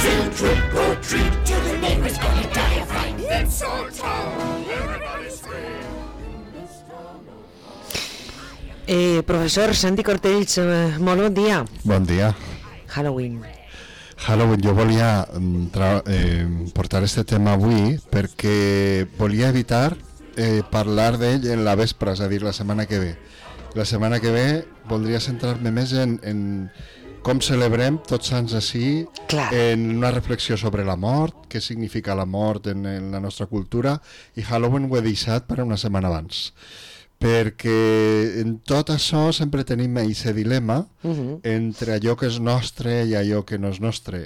Field trip or treat to the neighbor's gonna die of fright. It's our town, everybody's free. Professor Santi Cortells, molt bon dia. Bon dia. Halloween, Jo volia portar este tema avui perquè volia evitar parlar d'ell en la vespre, és a dir, la setmana que ve. La setmana que ve voldria centrar-me més en com celebrem Tots Sants així, en una reflexió sobre la mort, què significa la mort en la nostra cultura, i Halloween ho he deixat per una setmana abans. Perquè en tot això sempre tenim aquest dilema entre allò que és nostre i allò que no és nostre.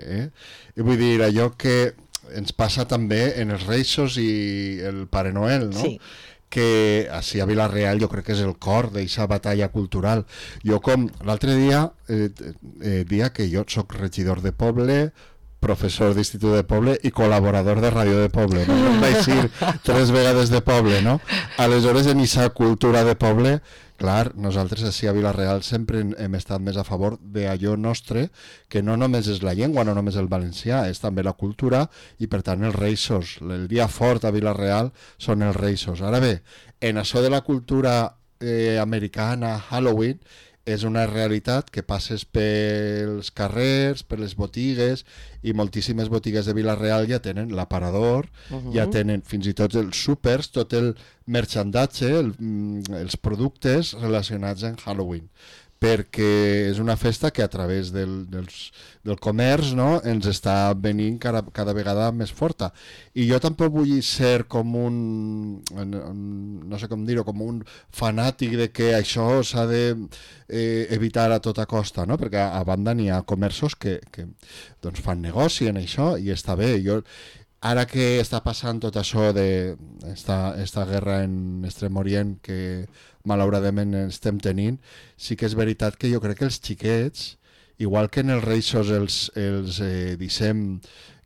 I vull dir, allò que ens passa també en els Reixos i el Pare Noel, no? Sí. Que així a Vila-real jo crec que és el cor d'aquesta batalla cultural. Jo com l'altre dia, dia que jo soc regidor de poble, professor d'institut de poble i col·laborador de ràdio de poble, no? Em vaig dir 3 vegades de poble, no? Aleshores, en aquesta cultura de poble, clar, nosaltres així a Vila-real sempre hem estat més a favor d'allò nostre, que no només és la llengua, no només el valencià, és també la cultura i per tant els Reixos. El dia fort a Vila-real són els Reixos. Ara bé, en això de la cultura americana, Halloween, és una realitat que passes pels carrers, per les botigues, i moltíssimes botigues de Vila-real ja tenen l'aparador, ja tenen fins i tot els súpers, tot el merchandatge, els productes relacionats amb Halloween, perquè és una festa que a través del comerç, no, ens està venint cada vegada més forta. I jo tampoc vull ser com no sé com dir-ho, com un fanàtic de que això s'ha d'evitar a tota costa, no? Perquè a banda n'hi ha comerços que doncs fan negoci en això i està bé. Ara que està passant tot això d'esta guerra en Extrem Orient que malauradament estem tenint, sí que és veritat que jo crec que els xiquets, igual que en els Reixos els deixem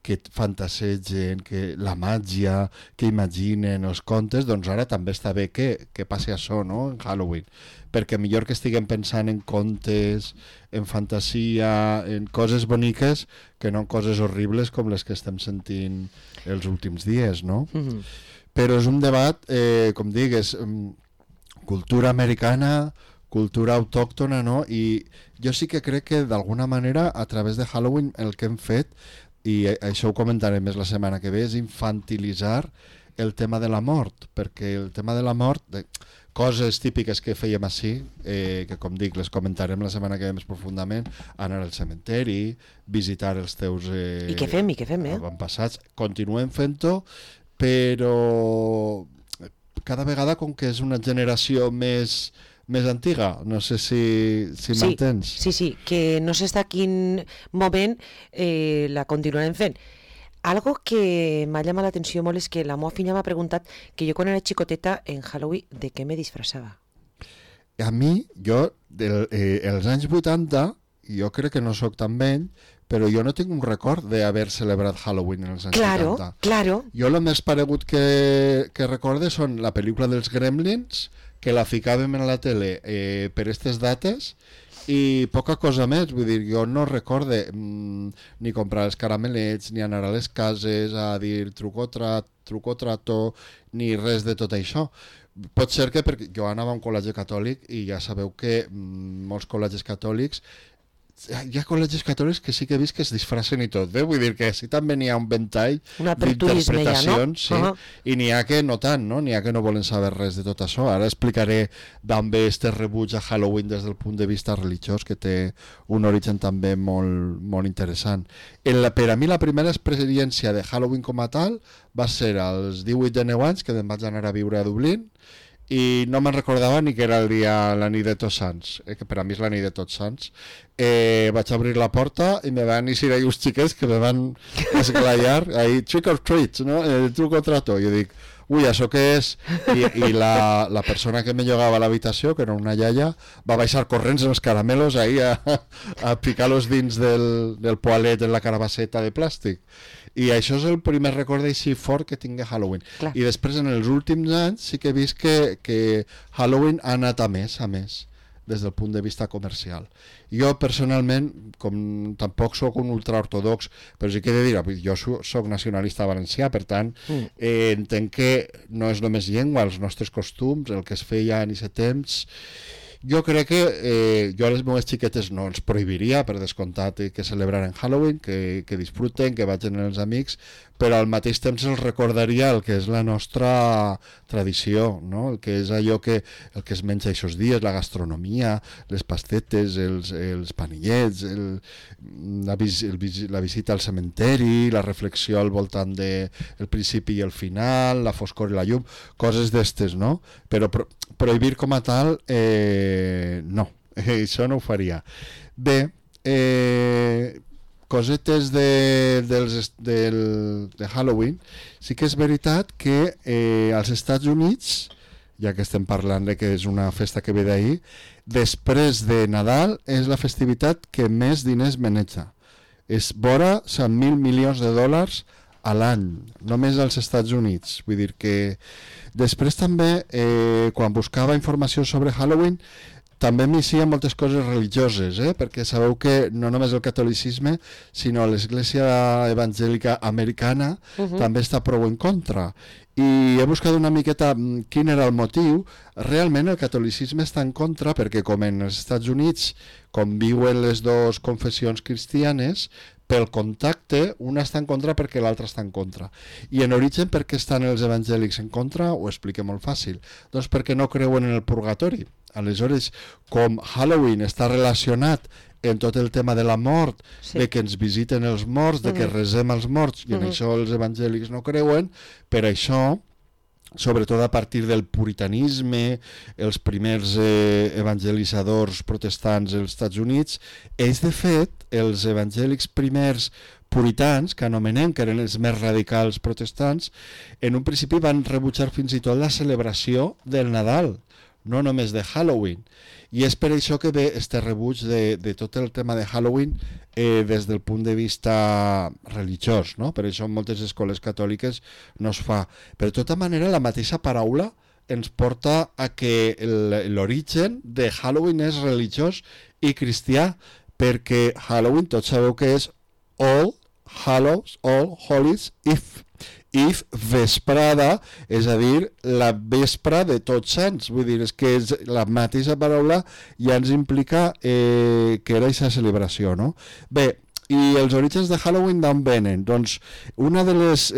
que fantasegen, que la màgia, que imaginen els contes, doncs ara també està bé que passi això, no?, en Halloween, perquè millor que estiguem pensant en contes, en fantasia, en coses boniques, que no en coses horribles com les que estem sentint els últims dies, no? Però és un debat, com dic, és cultura americana, cultura autòctona, no? I jo sí que crec que d'alguna manera a través de Halloween el que hem fet, i això ho comentarem més la setmana que ve, és infantilitzar el tema de la mort, perquè el tema de la mort, coses típiques que fèiem així, que com dic les comentarem la setmana que ve més profundament, anar al cementeri, visitar els teus i què fem, avantpassats, continuem fent-ho, però cada vegada com que és una generació més antiga, no sé si m'entens. Sí, que no sé fins a quin moment la continuarem fent. Algo que m'ha llamat l'atenció molt és que la meva filla m'ha preguntat que jo quan era xicoteta en Halloween de què me disfressava. A mi, els anys 80, jo crec que no sóc tan vell, però jo no tinc un record d'haver celebrat Halloween en els anys 80. Claro. Jo el més paregut que recorde són la pel·lícula dels Gremlins, que la ficàvem en la tele per aquestes dates, i poca cosa més. Vull dir, jo no recorde ni comprar els caramelets, ni anar a les cases a dir truco trato, ni res de tot això. Pot ser que perquè jo anava a un col·legi catòlic i ja sabeu que molts col·legis catòlics, hi ha col·legis catòlics que sí que he vist que es disfracen i tot, vull dir que sí també n'hi ha un ventall d'interpretacions, ja, no? Sí, i n'hi ha que no tant, no? N'hi ha que no volen saber res de tot això. Ara explicaré d'on ve este rebuig a Halloween des del punt de vista religiós, que té un origen també molt, molt interessant. Per a mi la primera experiència de Halloween com a tal va ser als 18 de 9 anys, que em vaig anar a viure a Dublín, i no me'n recordava ni que era la nit de Tots Sants, que per a mi és la nit de Tots Sants. Vaig obrir la porta i me van eixir uns xiquets que me van esglaiar ahí, trick or treat, no? Truco o trato. Jo dic, ui, això què és? I la persona que me llogava a l'habitació, que era una iaia, va baixar corrents amb els caramelos ahí a picar-los dins del poalet en la carabasseta de plàstic. I això és el primer record així fort que tinc de Halloween. Clar. I després en els últims anys sí que he vist que Halloween ha anat a més. des del punt de vista comercial. Jo personalment, com tampoc sóc un ultraortodox, però sí que he de dir, jo sóc nacionalista valencià, per tant entenc que no és només llengua, els nostres costums, el que es feia en aquest temps. Jo crec que jo a les meves xiquetes no els prohibiria, per descomptat, que celebraren Halloween, que disfruten, que vagin els amics, però al mateix temps els recordaria el que és la nostra tradició, no? El que és allò el que es menja aquests dies, la gastronomia, les pastetes, els panillets, la visita al cementeri, la reflexió al voltant del principi i el final, la foscor i la llum, coses d'estes, no? Però prohibir com a tal, no, això no ho faria. Bé, cosetes de Halloween, sí que és veritat que als Estats Units, ja que estem parlant de que és una festa que ve d'ahir, després de Nadal és la festivitat que més diners maneja. És vora 100.000 milions de dòlars a l'any, només als Estats Units. Vull dir que després també, quan buscava informació sobre Halloween, també m'hi moltes coses religioses, perquè sabeu que no només el catolicisme, sinó l'Església Evangèlica Americana també està prou en contra. I he buscat una miqueta quin era el motiu. Realment el catolicisme està en contra perquè, com en els Estats Units conviuen les dues confessions cristianes, pel contacte, una està en contra perquè l'altra està en contra. I en origen, per què estan els evangèlics en contra? Ho expliqué molt fàcil. Doncs perquè no creuen en el purgatori. Aleshores, com Halloween està relacionat en tot el tema de la mort, de que ens visiten els morts, de que resem els morts, i en això els evangèlics no creuen, per això, sobretot a partir del puritanisme, els primers evangelitzadors protestants als Estats Units, ells de fet, els evangèlics primers puritans, que anomenem, que eren els més radicals protestants, en un principi van rebutjar fins i tot la celebració del Nadal, no només de Halloween. I és per això que ve este rebuig de tot el tema de Halloween des del punt de vista religiós, no? Per això en moltes escoles catòliques no es fa. Però de tota manera la mateixa paraula ens porta a que l'origen de Halloween és religiós i cristià, perquè Halloween tots sabeu que és All Hallows, All Holies Eve, vesprada, és a dir, la vespra de Tots Sants. Vull dir, és que la mateixa paraula ja ens implica que era aquesta celebració, no? Bé, i els orígens de Halloween d'on venen? Doncs una de les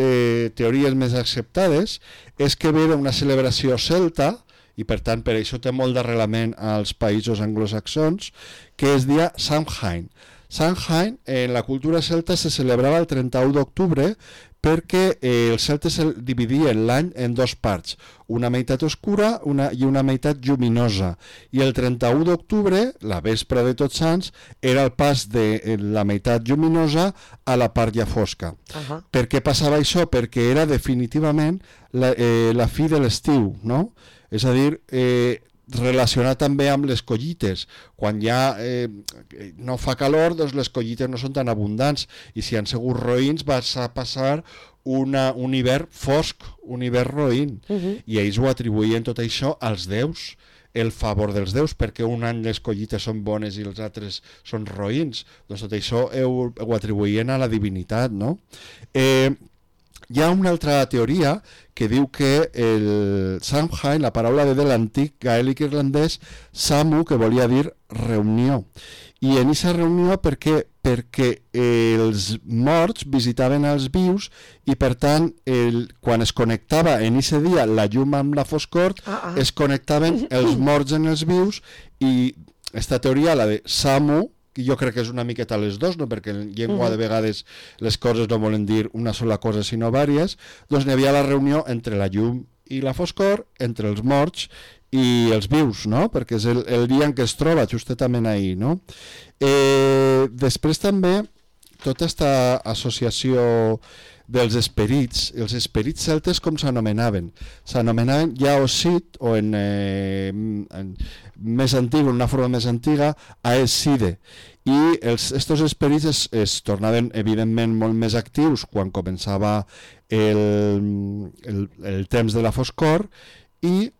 teories més acceptades és que ve d'una celebració celta, i per tant per això té molt d'arrelament als països anglosaxons, que es deia Samhain. Samhain, en la cultura celta, se celebrava el 31 d'octubre perquè els celtes dividien l'any en dues parts, una meitat oscura i una meitat lluminosa. I el 31 d'octubre, la vespra de Tots Sants, era el pas de la meitat lluminosa a la part ja fosca. Per què passava això? Perquè era definitivament la fi de l'estiu, no? És a dir, relacionat també amb les collites. Quan ja no fa calor, doncs les collites no són tan abundants, i si han sigut roïns vas a passar un hivern fosc, un hivern roïn, i ells ho atribuïen tot això als déus, el favor dels déus, perquè un any les collites són bones i els altres són roïns. Doncs tot això ho atribuïen a la divinitat, no? Hi ha una altra teoria que diu que el Samhain, la paraula ve de l'antic gaèlic irlandès Samu, que volia dir reunió. I en aquesta reunió perquè els morts visitaven els vius i per tant quan es connectava en aquest dia la llum amb la foscor, es connectaven els morts en els vius, i aquesta teoria, la de Samu, que jo crec que és una miqueta les dos, no? Perquè en llengua de vegades les coses no volen dir una sola cosa sinó vàries, doncs n'hi havia la reunió entre la llum i la foscor, entre els morts i els vius, no? Perquè és el dia en què es troba, justament ahir, no? Després també tota aquesta associació dels esperits, els esperits celtes com s'anomenaven? S'anomenaven ja Osid, o en més antic, una forma més antiga, Aeside. I estos esperits es tornaven evidentment molt més actius quan començava el temps de la foscor, i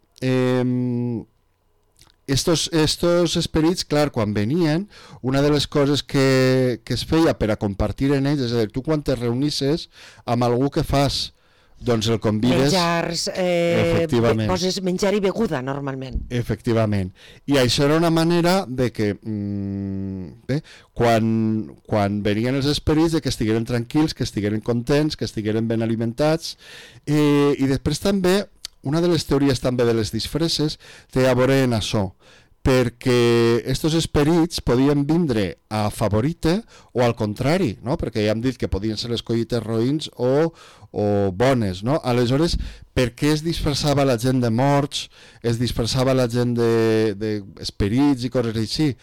estos esperits, clar, quan venien, una de les coses que es feia per a compartir en ells, és a dir, tu quan te reunisses amb algú que fas, doncs el convides... Menjars, efectivament. poses menjar i beguda, normalment. Efectivament. I això era una manera de que, bé, quan venien els esperits, de que estigueren tranquils, que estigueren contents, que estigueren ben alimentats, i després també, una de les teories també de les disfresses té a veure en això, perquè estos esperits podien vindre a favorite o al contrari, no? Perquè ja hem dit que podien ser les collites roïns o bones, no? Aleshores, per què es disfressava la gent de morts, es disfressava la gent d'esperits i coses així?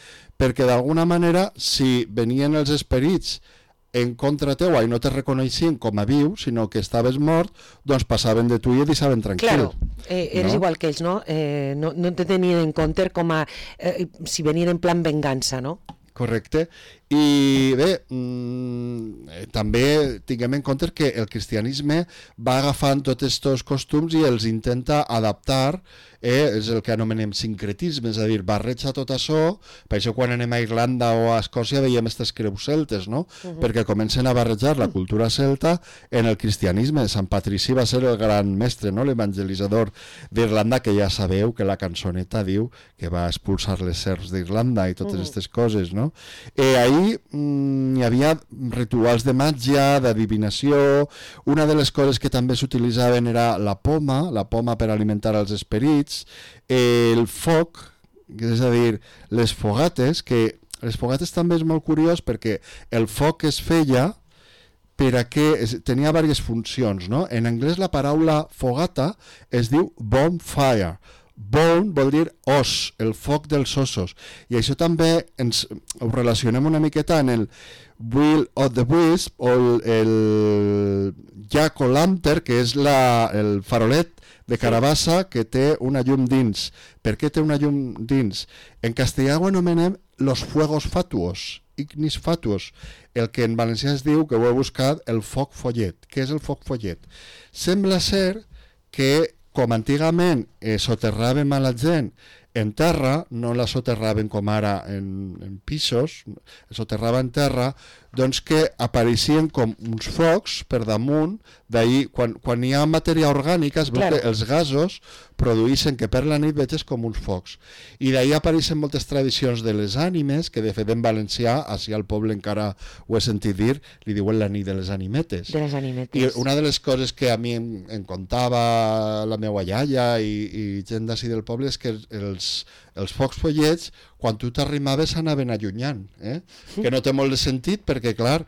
Perquè d'alguna manera, si venien els esperits en contra teua i no te reconeixien com a viu, sinó que estaves mort, doncs passaven de tu i et deixaven tranquil. Claro, eres igual que ells, no? No te tenien en compte com a si venien en plan vengança, no? Correcte. I bé, també tinguem en compte que el cristianisme va agafant tots aquests costums i els intenta adaptar, és el que anomenem sincretisme, és a dir, barreja tot això, per això quan anem a Irlanda o a Escòcia veiem aquestes creus celtes, no? Perquè comencen a barrejar la cultura celta en el cristianisme. Sant Patrici va ser el gran mestre, no? L'evangelitzador d'Irlanda, que ja sabeu que la cançoneta diu que va expulsar les serps d'Irlanda i totes aquestes coses, no? Ahir hi havia rituals de màgia, d'adivinació. Una de les coses que també s'utilitzaven era la poma per alimentar els esperits, el foc, és a dir, les fogates, que les fogates també és molt curiós perquè el foc es feia per a que tenia diverses funcions, no? En anglès la paraula fogata es diu bonfire. Bone vol dir os, el foc dels ossos, i això també ho relacionem una miqueta en el Will of the Wisp o el jack-o'-lantern, que és el farolet de carabassa que té una llum dins. Per què té una llum dins? En castellà ho anomenem los fuegos fatuos, ignis fatuos, el que en valencià es diu, que ho he buscat, el foc follet. Què és el foc follet? Sembla ser que, com antigament soterràvem a la gent en terra, no la soterraven com ara en pisos, soterrava en terra, doncs que apareixien com uns focs per damunt, d'ahir, quan hi ha matèria orgànica, es veu que els gasos produeixen que per la nit veges com uns focs. I d'ahir apareixen moltes tradicions de les ànimes, que de fet en valencià, així al poble encara ho he sentit dir, li diuen la nit de les animetes. De les animetes. I una de les coses que a mi em contava la meva iaia i gent d'ací del poble és que els focs follets, quan tu t'arrimaves, s'anaven allunyant, que no té molt de sentit perquè, clar,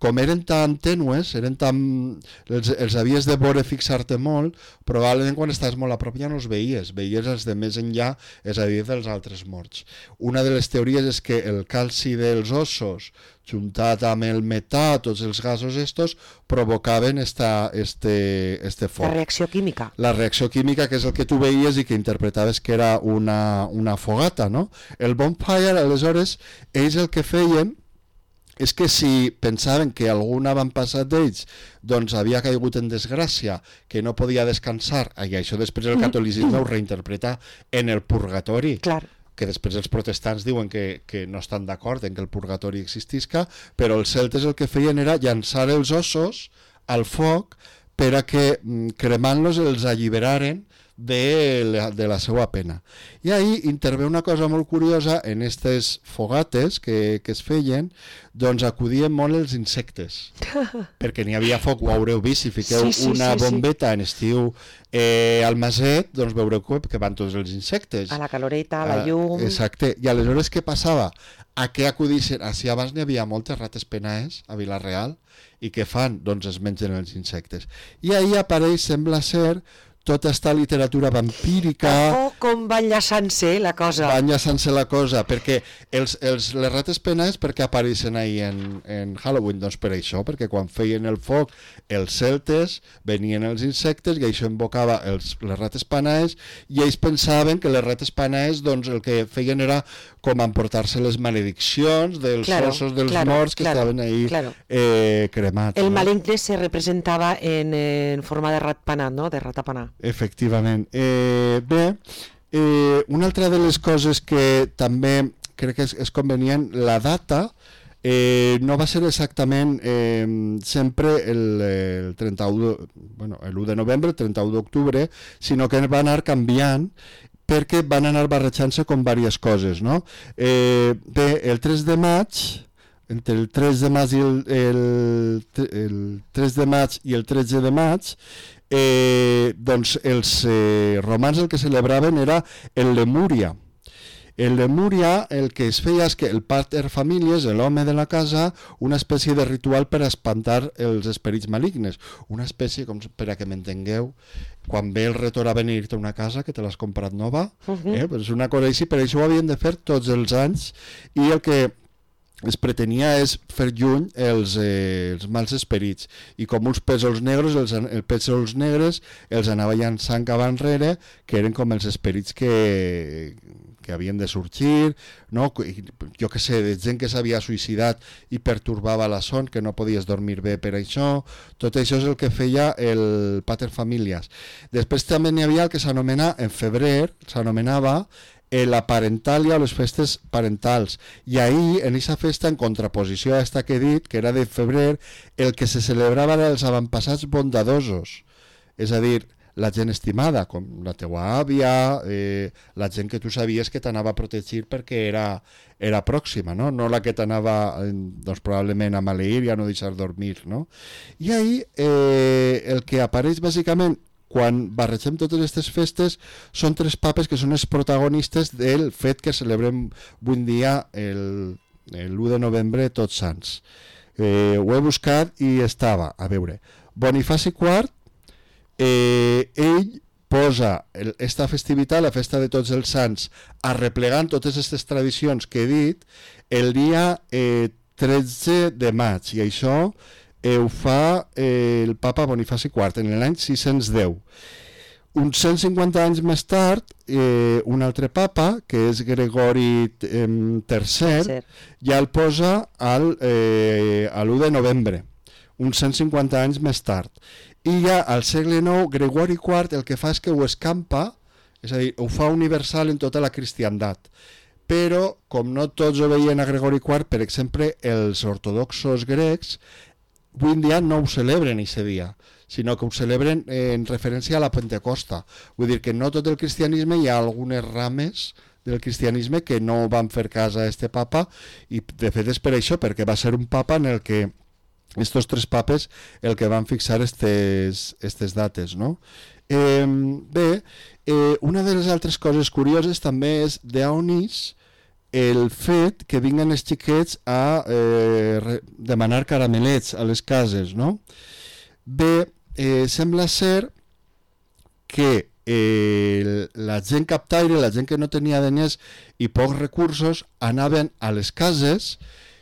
com eren tan tènues, els havies de veure, fixar-te molt, probablement quan estaves molt a prop ja no els veies els de més enllà, és a dir, dels altres morts. Una de les teories és que el calci dels ossos, juntat amb el metà, tots els gasos estos, provocaven este foc. La reacció química. La reacció química, que és el que tu veies i que interpretaves que era una fogata, no? El bonfire, aleshores, ells el que feien és que si pensaven que algun avantpassat d'ells doncs havia caigut en desgràcia, que no podia descansar, i això després el catolicisme ho reinterpreta en el purgatori, Clar. que després els protestants diuen que no estan d'acord en que el purgatori existisca, però els celtes el que feien era llançar els ossos al foc per a que cremant-los els alliberaren de la seva pena. I ahir intervé una cosa molt curiosa en aquestes fogates que es feien, doncs acudien molt els insectes, perquè n'hi havia foc, ho haureu vist, si fiqueu una bombeta en estiu al maset, doncs veureu que van tots els insectes. A la caloreta, a la llum... Exacte, i aleshores què passava? A què acudissin? Així abans n'hi havia moltes rates penaes a Vila-real, i què fan? Doncs es mengen els insectes. I ahir apareix, sembla ser, tota esta literatura vampírica... com va enllaçant-se la cosa. Va enllaçant-se la cosa, perquè les rates penaes per què apareixen ahir en Halloween? Doncs per això, perquè quan feien el foc els celtes venien els insectes i això invocava les rates penaes i ells pensaven que les rates penaes doncs el que feien era com emportar-se les malediccions dels ossos dels morts que estaven ahí cremats. El maligne se representava en forma de ratpenat, no? De ratapenà. Efectivament. Bé, Una altra de les coses que també crec que és convenient, la data no va ser exactament sempre el 31 l'1 de novembre, el 31 d'octubre, sinó que va anar canviant perquè van anar barrejant-se com diverses coses, no? Bé, el 3 de maig, entre el 3 de maig i el 3 de maig i el 13 de maig, doncs els romans el que celebraven era el Lemúria. El Lemúria el que es feia és que el pater familias, l'home de la casa, una espècie de ritual per espantar els esperits malignes. Una espècie, com per a que m'entengueu, quan ve el retor a venir-te a una casa que te l'has comprat nova, pues una cosa així, per això ho havien de fer tots els anys, i el que es pretenia és fer lluny els mals esperits, i com uns pèsols negres, els pèsols negres els anava llançant cap enrere, que eren com els esperits que havien de sorgir, no? Jo que sé, de gent que s'havia suïcidat i pertorbava la son, que no podies dormir bé per això. Tot això és el que feia el pater familias. Després també n'hi havia el que s'anomena, en febrer, s'anomenava la parentalia o les festes parentals, i ahir en aquesta festa, en contraposició a esta que he dit, que era de febrer, el que se celebrava era els avantpassats bondadosos, és a dir, la gent estimada, com la teua àvia, la gent que tu sabies que t'anava a protegir perquè era pròxima, no la que t'anava doncs, probablement a maleir i a no deixar dormir, no? I ahir el que apareix bàsicament quan barregem totes aquestes festes són tres papes que són els protagonistes del fet que celebrem avui dia l'1 de novembre Tots Sants. Ho he buscat i estava, a veure, Bonifaci IV, ell posa esta festivitat, la festa de Tots els Sants, arreplegant totes aquestes tradicions que he dit, el dia 13 de maig, i això ho fa el papa Bonifaci IV en l'any 610. Uns 150 anys més tard, un altre papa, que és Gregori III, ja el posa a l'1 de novembre, uns 150 anys més tard. I ja al segle IX, Gregori IV el que fa és que ho escampa, és a dir, ho fa universal en tota la cristiandat. Però, com no tots ho veien a Gregori IV, per exemple, els ortodoxos grecs, avui en dia no ho celebren aquest dia, sinó que ho celebren en referència a la Pentecosta. Vull dir que no tot el cristianisme, hi ha algunes rames del cristianisme que no van fer cas a este papa, i de fet és per això, perquè va ser un papa en el que estos tres papes el que van fixar estes dates, no? Bé, una de les altres coses curioses també és d'on és el fet que vinguen els xiquets a demanar caramelets a les cases, no? Bé, sembla ser que la gent captaire, la gent que no tenia diners i pocs recursos, anaven a les cases,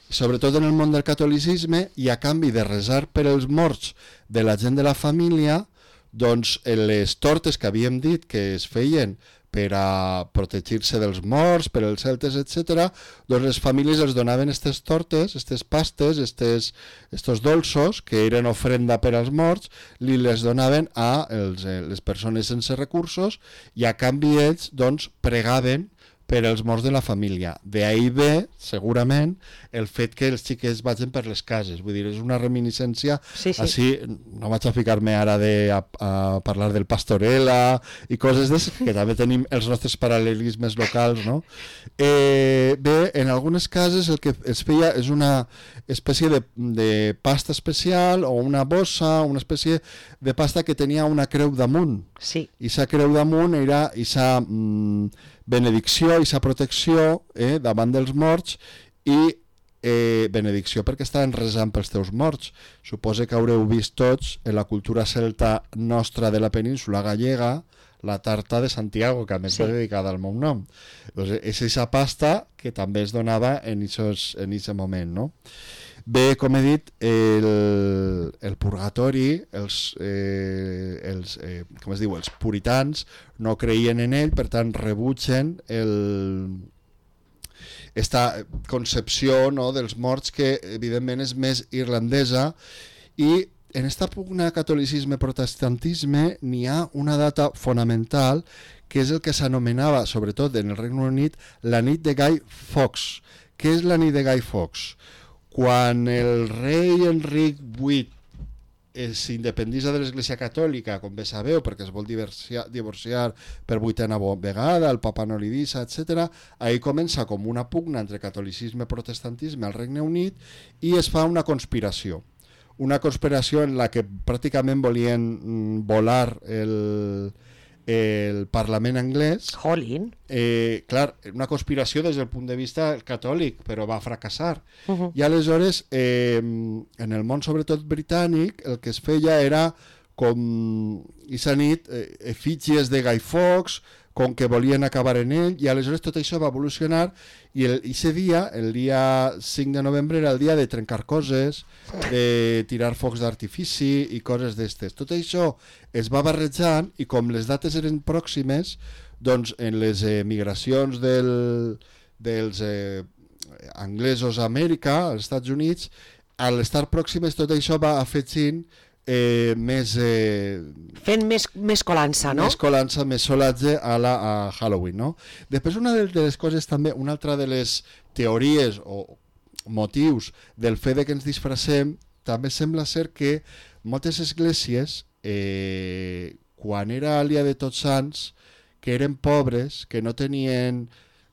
sobretot en el món del catolicisme, i a canvi de resar per els morts de la gent de la família, doncs les tortes que havíem dit que es feien per a protegir-se dels morts, per als celtes, etc., doncs les famílies els donaven aquestes tortes, aquestes pastes, estos dolços, que eren ofrenda per als morts, li les donaven a les persones sense recursos, i a canvi ells doncs pregaven per als morts de la família. D'ahir ve, segurament, el fet que els xiquets vagin per les cases. Vull dir, és una reminiscència, així, no vaig a ficar-me ara a parlar del Pastorela i coses d'això, que també tenim els nostres paral·lelismes locals, no? Bé, en algunes cases el que es feia és una espècie de pasta especial o una bossa, una espècie de pasta que tenia una creu damunt. Sí. I sa creu damunt era aquesta benedicció i sa protecció davant dels morts, i benedicció perquè estaven resant pels teus morts. Suposo que haureu vist tots en la cultura celta nostra de la península gallega la tarta de Santiago, que a més va dedicada al meu nom. Doncs és aquesta pasta que també es donava en aquest moment, no? Bé, com he dit, el purgatori, com es diu, els puritans no creien en ell, per tant rebutgen esta concepció, no, dels morts, que evidentment és més irlandesa, i en esta pugna catolicisme-protestantisme n'hi ha una data fonamental que és el que s'anomenava, sobretot en el Regne Unit, la nit de Guy Fawkes. Què és la nit de Guy Fawkes? Quan el rei Enric VIII s'independitza de l'Església Catòlica, com bé sabeu, perquè es vol divorciar per 8a vegada, el papa no li deixa, etc. Ahí comença com una pugna entre catolicisme i protestantisme al Regne Unit i es fa una conspiració en la que pràcticament volien volar el Parlament anglès. Jolín. Clar, una conspiració des del punt de vista catòlic, però va fracassar. I aleshores, en el món sobretot britànic, el que es feia era com aquesta nit efígies de Guy Fawkes, com que volien acabar en ell, i aleshores tot això va evolucionar i aquest dia, el dia 5 de novembre, era el dia de trencar coses, de tirar focs d'artifici i coses d'estes. Tot això es va barrejant i com les dates eren pròximes, doncs en les migracions dels anglesos a Amèrica, als Estats Units, a l'estar pròximes tot això va afegint més... fent més colança, no? Més colança, més solatge a Halloween, no? Després una de les coses també, una altra de les teories o motius del fet de que ens disfressem, també sembla ser que moltes esglésies, quan era el dia de Tots Sants, que eren pobres, que no tenien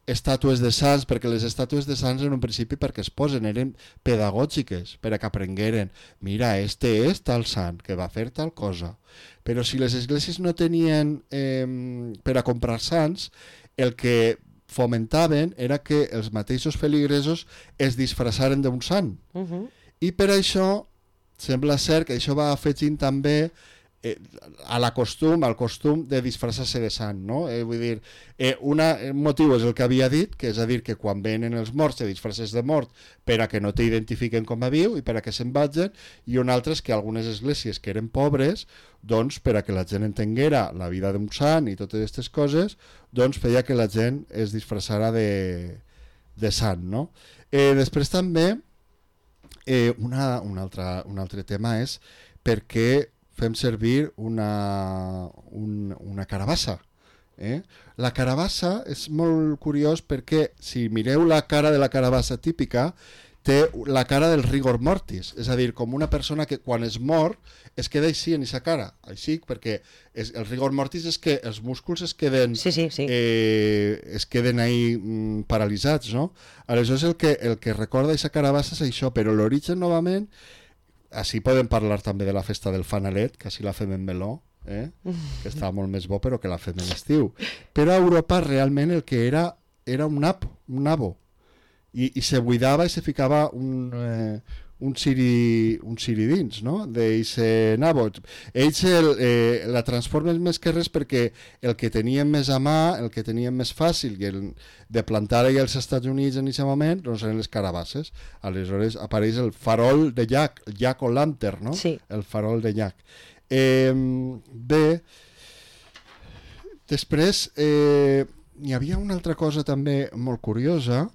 estàtues de sants, perquè les estàtues de sants en un principi perquè es posen, eren pedagògiques, per a que aprengueren, mira, este és tal sant, que va fer tal cosa. Però si les esglésies no tenien per a comprar sants, el que fomentaven era que els mateixos feligresos es disfressaren d'un sant. I per això, sembla ser que això va afegint també al costum de disfressar-se de sant, no? Vull dir, un motiu és el que havia dit, que és a dir, que quan venen els morts te disfresses de mort per a que no t'identifiquen com a viu i per a que se'n vagin, i un altre és que algunes esglésies que eren pobres, doncs per a que la gent entenguera la vida d'un sant i totes aquestes coses, doncs feia que la gent es disfressara de sant, no? Després també un altre tema és per què fem servir una carabassa. La carabassa és molt curiós perquè si mireu la cara de la carabassa típica té la cara del rigor mortis, és a dir, com una persona que quan es mor es queda així en aquesta cara, així, perquè el rigor mortis és que els músculs es queden es queden ahí paralitzats, no? Aleshores el que recorda aquesta carabassa és això, però l'origen novament, així podem parlar també de la festa del fanalet, que així la fem en meló, que està molt més bo però que la fem en estiu. Però a Europa realment el que era un nabo, i se buidava i se ficava un ciri dins, no? D'eixe nabo. Ells la transformen més que res perquè el que tenien més a mà, el que tenien més fàcil de plantar allà als Estats Units en aquest moment, doncs eren les carabasses. Aleshores apareix el farol de llac, el jack o lantern, no? Sí. El farol de llac. Bé, després hi havia una altra cosa també molt curiosa,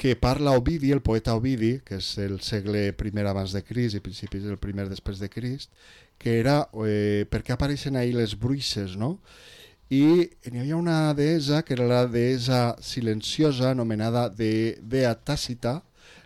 que parla Ovidi, el poeta Ovidi, que és el segle I abans de Crist i principis del I després de Crist, que era per què apareixen ahí les bruixes, no? I hi havia una deessa, que era la deessa silenciosa, anomenada Dea Tàcita.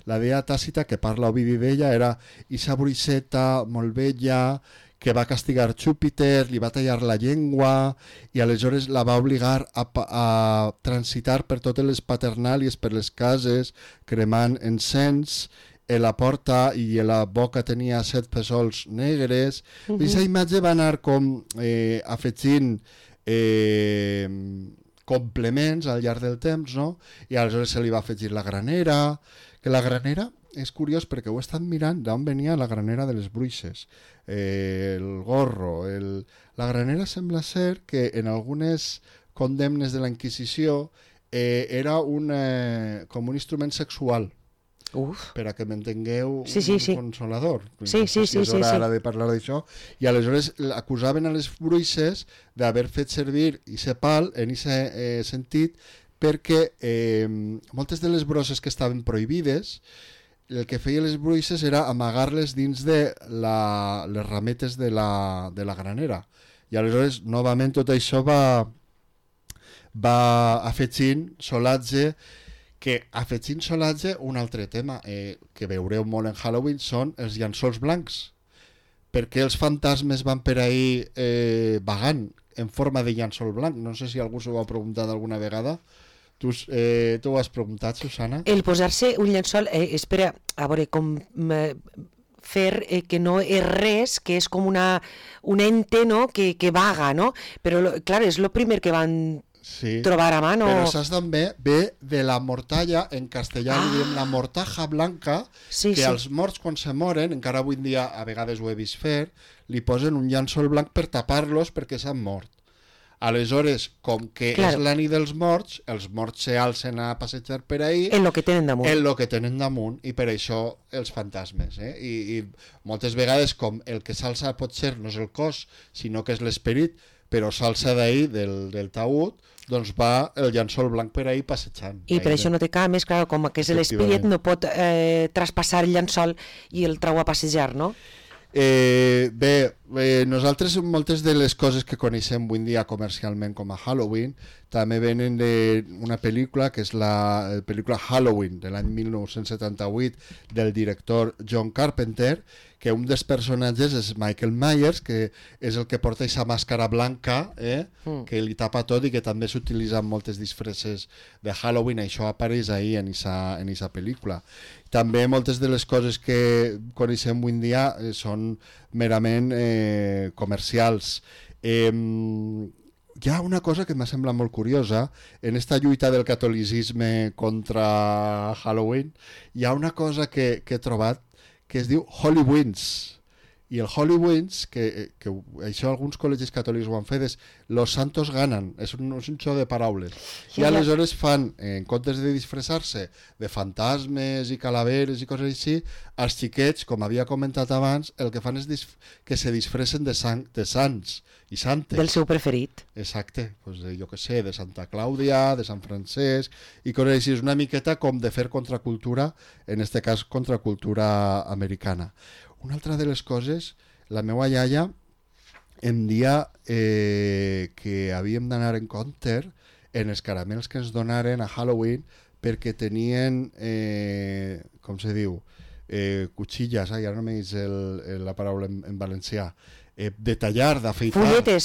La Dea Tàcita, que parla Ovidi d'ella, era esa bruixeta molt bella, que va castigar Júpiter, li va tallar la llengua i aleshores la va obligar a transitar per totes les paternàlies, per les cases, cremant encens, a la porta i a la boca tenia 7 fesols negres. Aquesta imatge va anar com afegint complements al llarg del temps, no? I aleshores se li va afegir la granera, que la granera és curiós perquè ho he estat mirant d'on venia la granera de les bruixes, el gorro, la granera sembla ser que en algunes condemnes de la Inquisició era com un instrument sexual. Per a que m'entengueu, un consolador. Sí. És hora ara de parlar d'això. I aleshores acusaven a les bruixes d'haver fet servir aquest pal en aquest sentit perquè moltes de les brosses que estaven prohibides, el que feien les bruixes era amagar-les dins de les rametes de la granera. I aleshores, novament, tot això va va afegint solatge, que afegint solatge, un altre tema que veureu molt en Halloween són els llençols blancs. Per què els fantasmes van per ahí vagant en forma de llençol blanc? No sé si algú s'ho ha preguntat alguna vegada. Tu ho has preguntat, Susana? El posar-se un llençol, espera, a veure, com fer que no és res, que és com un ente, no?, que vaga, no? Però, clar, és el primer que van trobar a mà, no? Però saps també, ve de la mortalla, en castellà li diem la mortaja blanca, que als morts quan se moren, encara avui en dia a vegades ho he vist fer, li posen un llençol blanc per tapar-los perquè s'han mort. Aleshores, com que és la nit dels morts, els morts s'alcen a passejar per ahí en lo que tenen damunt. En lo que tenen damunt, i per això els fantasmes. I moltes vegades, com el que s'alça potser no és el cos, sinó que és l'esperit, però s'alça d'ahir, del taüt, doncs va el llençol blanc per ahí passejant. I per això no té cames, clar, com que és l'esperit, no pot traspassar el llençol i el trau a passejar, no? Nosaltres moltes de les coses que coneixem avui en dia comercialment com a Halloween també venen d'una pel·lícula que és la pel·lícula Halloween de l'any 1978 del director John Carpenter, que un dels personatges és Michael Myers, que és el que porta aquesta màscara blanca que li tapa tot i que també s'utilitza en moltes disfresses de Halloween. Això apareix ahí en aquesta pel·lícula. També moltes de les coses que coneixem avui en dia són merament comercials. Hi ha una cosa que m'ha semblat molt curiosa en esta lluita del catolicisme contra Halloween. Hi ha una cosa que he trobat que es diu Halloween's. I el Halloween's, que això alguns col·legis catòlics ho han fet, és los santos ganan, és un xoc de paraules. I aleshores fan, en comptes de disfressar-se de fantasmes i calaveres i coses així, els xiquets, com havia comentat abans, el que fan és que se disfressen de sants i santes. Del seu preferit. Exacte, doncs jo què sé, de Santa Clàudia, de Sant Francesc, i coses així. És una miqueta com de fer contracultura, en este cas contracultura americana. Una altra de les coses, la meva iaia em dia que havíem d'anar en compte en els caramels que ens donaren a Halloween perquè tenien, com se diu, cuchillas, ara no me dius la paraula en valencià, de tallar, d'afeitar.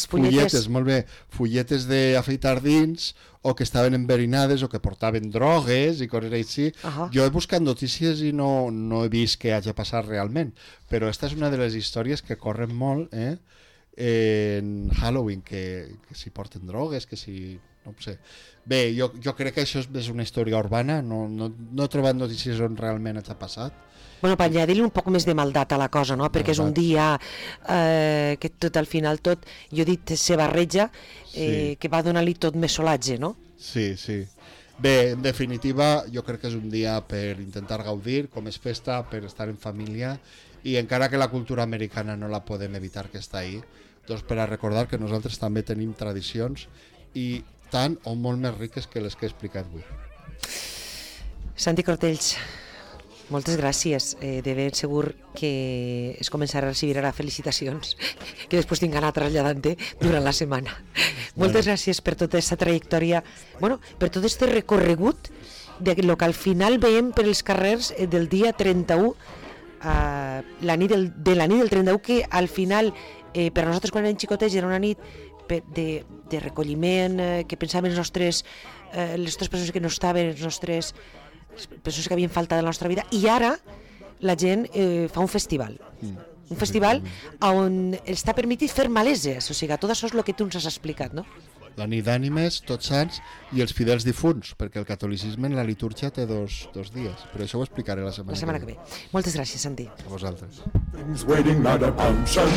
Fulletes. Molt bé. Fulletes d'afeitar dins, o que estaven enverinades, o que portaven drogues i coses així. Jo he buscat notícies i no he vist què hagi passat realment, però esta és una de les històries que corren molt en Halloween, que si porten drogues, que si... no sé. Bé, jo crec que això és una història urbana, no he trobat notícies on realment hagi passat. Bueno, per añadir-li un poc més de maldat a la cosa, no? Perquè és un dia que tot al final tot, jo he dit, se barreja, que va donar-li tot més solatge, no? Sí. Bé, en definitiva, jo crec que és un dia per intentar gaudir, com és festa, per estar en família, i encara que la cultura americana no la podem evitar que està ahí, doncs per a recordar que nosaltres també tenim tradicions i tant o molt més riques que les que he explicat avui. Santi Cortells, moltes gràcies. De ben segur que es començarà a recibir ara felicitacions que després tinc anar traslladant-te durant la setmana. Moltes gràcies per tota aquesta trajectòria, per tot aquest recorregut de lo que al final veiem per els carrers del dia 31, la nit del 31, que al final per a nosaltres quan érem xicotets era una nit de recolliment, que pensàvem les nostres persones que no estaven, les nostres persones que havien faltat de la nostra vida, i ara la gent fa un festival. Un festival on està permitit fer maleses, o sigui, tot això és el que tu ens has explicat, no? La nit d'ànimes, tots sants i els fidels difunts, perquè el catolicisme en la litúrgia té dos dies, però això ho explicaré la setmana que ve. Moltes gràcies, Santi. A vosaltres. Waiting at a punch and